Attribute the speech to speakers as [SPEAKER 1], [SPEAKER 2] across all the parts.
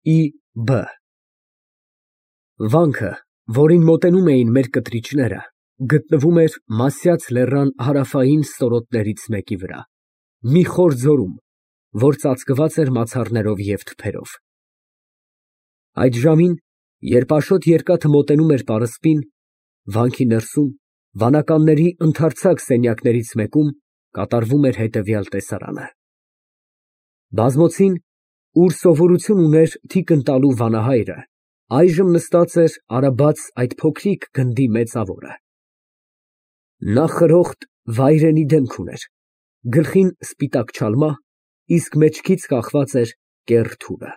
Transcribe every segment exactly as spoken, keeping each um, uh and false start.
[SPEAKER 1] Ի Բ Վանքը, որին մոտենում էին մեր կտրիչները, գտնվում էր Մասյաց լեռան հարավային ստորոտներից մեկի վրա, մի խոր ձորում, որ ծածկված էր մացառներով և թփերով։ Այդ ժամին, երբ աշոտ երկաթը մոտենում էր պարսպին, վանքի ներսում, վանականների ընդարձակ սենյակներից մեկում կատարվում էր հետևյալ տեսարանը. բազմոցին, ուր սովորություն ուներ թիկն տալու վանահայրը, այժմ նստած էր արաբաց այդ փոքրիկ գնդի մեցավորը։ Նա խրոխտ, վայրենի դեմք ուներ, գլխին սպիտակ չալմա, իսկ մեջքից կախված էր կեռ թուրը։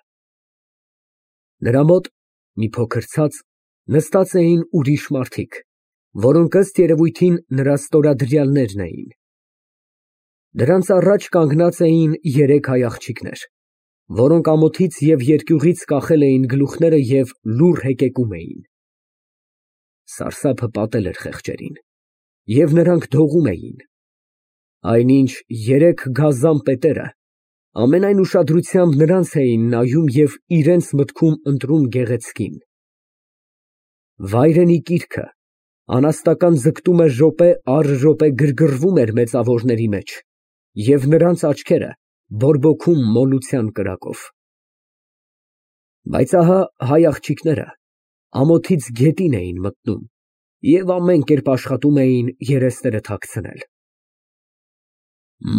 [SPEAKER 1] Նրա մոտ, մի փոքր ցած, նստած էին ուրիշ մարդիկ, որոնք ըստ երևույթին նրա ստորադրյալներն էին։ Դրանց առաջ կանգնած էին երեք հայ աղջիկներ, որոնք ամոթից և երկյուղից կախել էին գլուխները և լուռ հեկեկում էին։ Սարսափը պատել էր խեղճերին, և նրանք դողում էին, այնինչ երեք գազան պետերը ամենայն ուշադրությամբ նրանց էին նայում և իրենց մտքում ընտրում գեղեցկին։ Վայրենի կիրքը անաստական ձգտում էր րոպե առ րոպե գրգռվում էր մեցավորների մեջ, և նրանց աչքերը բորբոքում մոլության կրակով։ Բայց ահա հայ աղջիկները ամոթից գետին էին մտնում և ամեն կերպ աշխատում էին երեսները թաքցնել։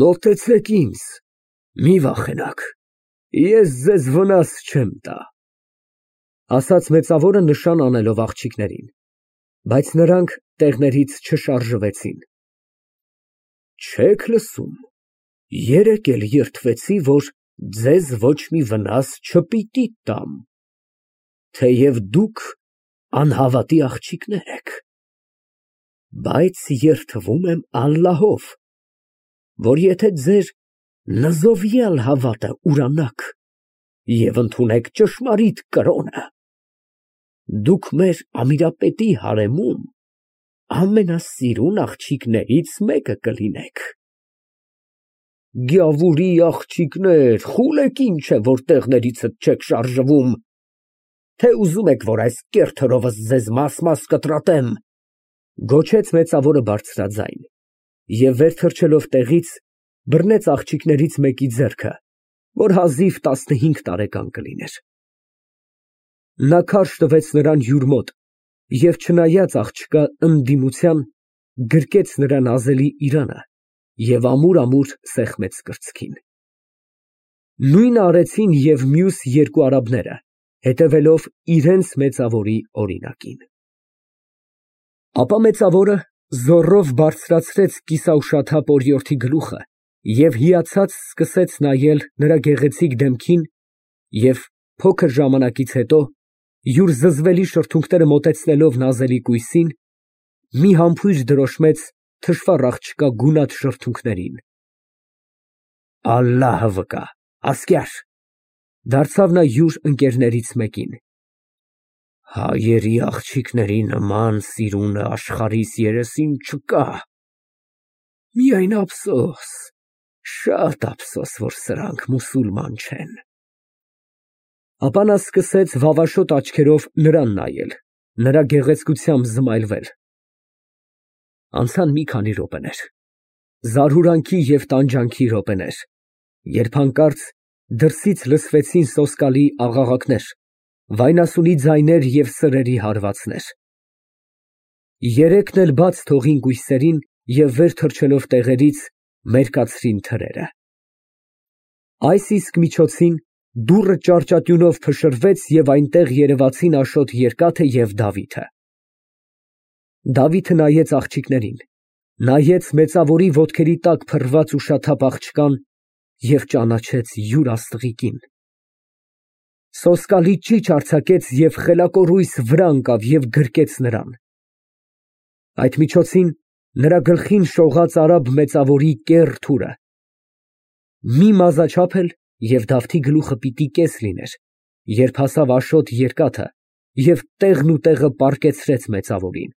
[SPEAKER 1] Մոտեցեք ինձ, մի վախենաք, ես ձեզ վնաս չեմ տա, ասաց մեցավորը նշան անելով աղջիկներին, բայց նրանք տեղներից չշարժվեցին։ Չե՞ք լսում, երեկ էլ երդվեցի, որ ձեզ ոչ մի վնաս չպիտի տամ, թեև դուք անհավատի աղջիկներ եք, բայց երդվում եմ ալլահով, որ եթե ձեր նզովյալ հավատը ուրանաք և ընդունեք ճշմարիտ կրոնը, դուք մեր ամիրապետի հարեմում ամենասիրուն աղջիկներից մեկը կլինեք։ Գյավուրի աղջիկներ, խուլեք ինչ է, որ տեղներիցդ չեք շարժվում, թե ուզում եք, որ այս կեռ թրովս ձեզ մաս֊մաս կտրատեմ, գոչեց մեցավորը բարձրաձայն և վեր թռչելով տեղից, բռնեց աղջիկներից մեկի ձեռքը, որ հազիվ տասնհինգ տարեկան կլիներ։ Նա քարշ տվեց նրան յուր մոտ և չնայած աղջկա ընդդիմության, գրկեց նրա նազելի իրանը և ամուր֊ամուր սեղմեց կրծքին։ Նույնը արեցին և մյուս երկու արաբները, հետևելով իրենց մեցավորի օրինակին։ Ապա մեցավորը զոռով բարձրացրեց կիսաուշաթափ օրիորդի գլուխը և հիացած սկսեց նայել նրա գեղեցիկ դեմքին և, փոքր ժամանակից հետո, յուր զզվելի շրթունքները մոտեցնելով նազելի կույսին, մի համբույր դրոշմեց թշվառ աղջկա գունատ շրթունքներին։ Ալլահը վկա, ասկյար, դարձավ նա յուր ընկերներից մեկին, հայերի աղջիկների նման սիրունը աշխարհիս երեսին չկա, միայն ափսոս, շատ ափսոս, որ սրանք մուսուլման չեն։ Ապա նա սկսեց վավաշոտ աչքերով նրան նայել, նրա գեղեցկությամբ զմայլվել։ Անցան մի քանի րոպեներ, զարհուրանքի և տանջանքի րոպեներ, երբ հանկարծ դրսից լսվեցին սոսկալի աղաղակներ, վայնասունի ձայներ և սրերի հարվածներ։ Երեքն էլ բաց թողին կույսերին և վեր թռչելով տեղերից, մերկացրին թրերը։ Այս իսկ միջոցին դուռը ճարճատյունով փշրվեց և այնտեղ երևացին Աշոտ Երկաթը և Դավիթը։ Դավիթը նայեց աղջիկներին, նայեց մեցավորի ոտքերի տակ փռված ուշաթափ աղջկան և ճանաչեց յուր աստղիկին։ Սոսկալի ճիչ արձակեց և խելակորույս վրա ընկավ և գրկեց նրան։ Այդ միջոցին նրա գլխին շողաց արաբ մեցավորի կեռ թուրը։ Մի մազաչափ էլ և Դավթի գլուխը պիտի կես լիներ, երբ հասավ Աշոտ Երկաթը և տեղն ու տեղը պառկեցրեց մեցավորին։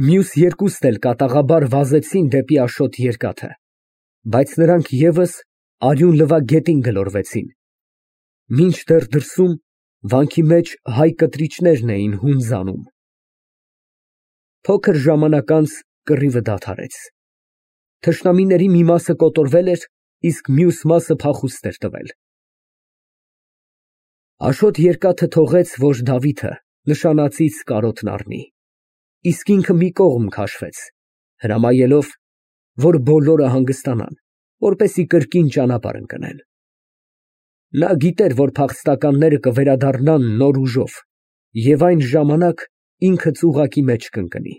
[SPEAKER 1] Մյուս երկուսն էլ կատաղաբար վազեցին դեպի Աշոտ Երկաթը, բայց նրանք ևս արյուն լվա գետին գլորվեցին։ Մինչդեռ դրսում վանքի մեջ հայ կտրիչներն էին հունձ անում։ Փոքր ժամանակ անց կռիվը դադարեց։ Թշնամիների մի մասը կոտորվել էր, իսկ մյուս մասը փախուստ էր տվել։ Աշոտ երկաթը թողեց, որ Դավիթը նշանածից կարոտն առնի, իսկ ինքը մի կողմ քաշվեց, հրամայելով, որ բոլորը հանգստանան, որպեսզի կրկին ճանապարհ ընկնեն։ Նա գիտեր, որ փախստականները կվերադառնան նոր ուժով, և այն ժամանակ ինքը ծուղակի մեջ կընկնի։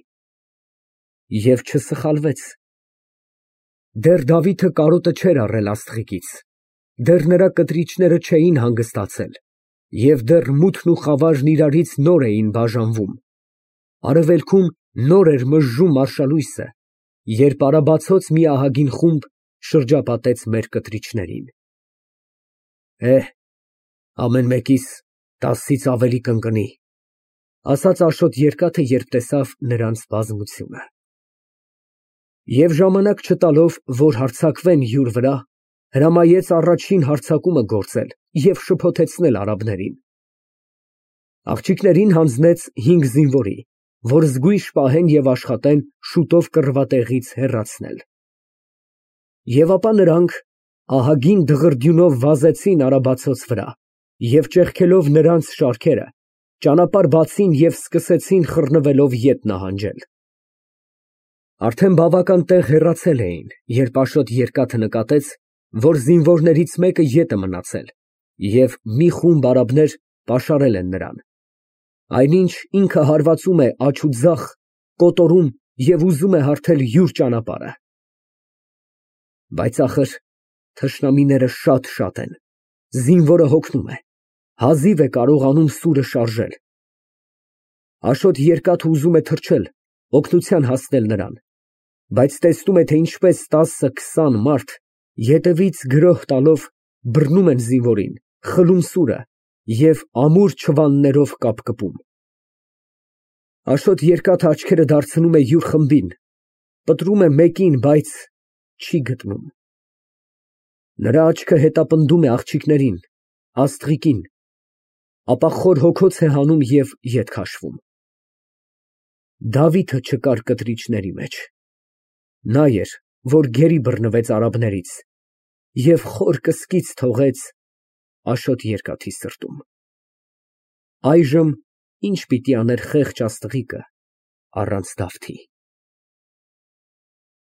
[SPEAKER 1] Եվ չսխալվեց։ Դեռ Դավիթը կարոտը չէր առել աստղիկից, դեռ նրա կտրիչները չէին հանգստացել, և դեռ մութն ու խավարն իրարից նոր էին բաժանվում, արևելքում նոր էր մժժում արշալույսը, երբ արաբացոց մի ահագին խումբ շրջապատեց մեր կտրիչներին։ «Է, ամեն մեկիս տասից ավելի կընկնի», ֊ ասաց Աշոտ երկաթը, երբ տեսավ նրանց բազմությունը։ Եվ ժամանակ չտալով, որ հարձակվեն յուր վրա, հրամայեց առաջին հարձակումը գործել և շփոթեցնել արաբներին։ Աղջիկներին հանձնեց հինգ զինվորի, որ զգույշ պահեն և աշխատեն շուտով կռվատեղից հեռացնել։ Եվ ապա նրանք ահագին դղրդյունով վազեցին արաբացոց վրա և ճեղքելով նրանց շարքերը, ճանապարհ բացին և սկսեցին խռնվելով ետ նահանջել։ Արդեն բավական տեղ հեռացել էին, երբ Աշոտ երկաթը նկատեց, որ զինվորներից մեկը ետ է մնացել, և մի խումբ արաբներ պաշարել են նրան, այնինչ ինքը հարվածում է աջ ու ձախ, կոտորում և ուզում է հարթել յուր ճանապարհը։ Բայց ախր թշնամիները շատ֊շատ են, զինվորը հոգնում է, հազիվ է կարողանում սուրը շարժել։ Աշոտ երկաթը ուզում է թռչել, օգնության հասնել նրան, բայց տեսնում է, թե ինչպես տասը֊քսան մարդ ետևից գրոհ տալով բռնում են զինվորին, խլում սուրը և ամուր չվաններով կապկպում։ Աշոտ երկաթը աչքերը դարձնում է յուր խմբին, պտրում է մեկին, բայց չի գտնում։ Նրա աչքը հետապնդում է աղջիկներին, աստղիկին, ապա խոր հոգոց է հանում և ետ քաշվում։ Դավիթը չկար կտրիչների մեջ։ Նա էր, որ գերի բռնվեց արաբներից և խոր կսկիծ թողեց Աշոտ երկաթի սրտում։ Այժմ ի՞նչ պիտի աներ խեղճ աստղիկը առանց Դավթի։